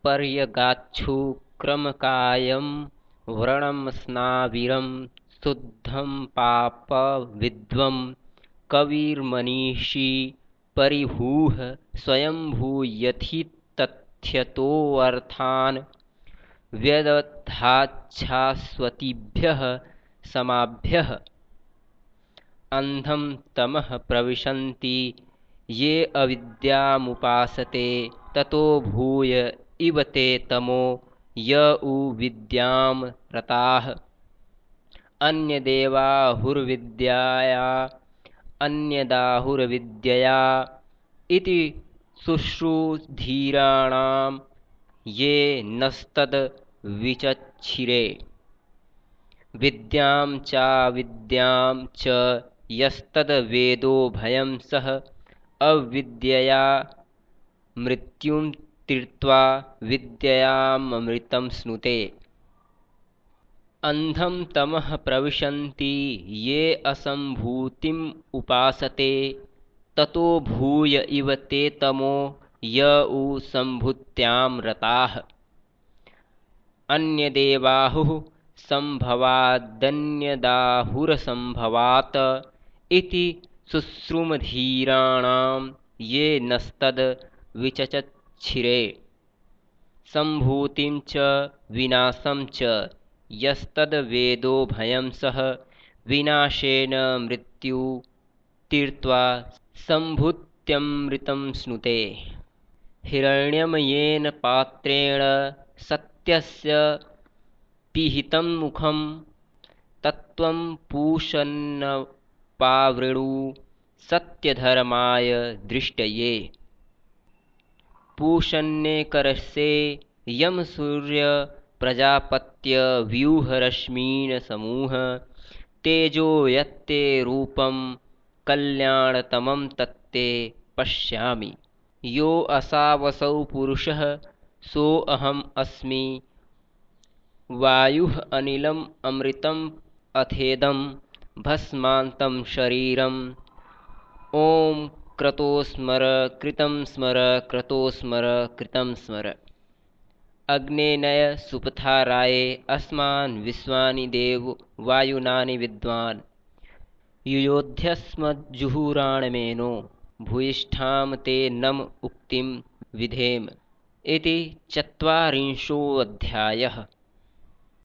पर्यगाच्छु क्रमकायं व्रणं स्नाविरं शुद्धं पापविद्वं कविर्मनीषी परिभूः स्वयंभूयथितथ्यतोऽर्थान् व्यदधाच्छाश्वतीभ्यः समाभ्यः अन्धं तमः प्रविशन्ति ये अविद्यामुपासते ततो भूय इव ते तमो य उ विद्यां रताः अन्यदाहुर्विद्यया इति शुश्रूषधीराणां ये नस्तद्विचक्षिरे विद्यां चाविद्यां च यस्तद्वेदो भयं सः अविद्यया मृत्युं तीर्त्वा विद्ययामृतं स्नुते अन्धं तमः प्रविशन्ति ये असम्भूतिम् उपासते ततो भूय इव ते तमो य उ सम्भूत्यां रताः अन्यदेवाहुः सम्भवादन्यदाहुरसम्भवात् इति शुश्रूषधीराणां ये नस्तद्विचक्षिरे सम्भूतिं च विनाशं च यस्तद्वेदो भयं सः विनाशेन मृत्यु तीर्त्वा सम्भूत्यमृतं स्नुते हिरण्यमयेन पात्रेण सत्यस्य पिहितं मुखं तत्त्वं पूषन्नपावृणु सत्यधर्माय दृष्टये पूषन्नेकरसे यं सूर्य प्रजापत्य व्यूहरश्मीन् समूह तेजो यत्ते रूपं कल्याणतमं तत्ते पश्यामि यो असावसौ पुरुषः सोऽहम् अस्मि वायुः अनिलम् अमृतम् अथेदं भस्मान्तं शरीरम् ॐ क्रतो स्मर कृतं स्मर क्रतो स्मर कृतं स्मर अग्नेनय सुपथाराये अस्मान् विश्वानि देव वायुनानि विद्वान् युयोध्यस्मज्जुहुराणमेनो भूयिष्ठां ते नम उक्तिं विधेम इति ४४ अध्यायः।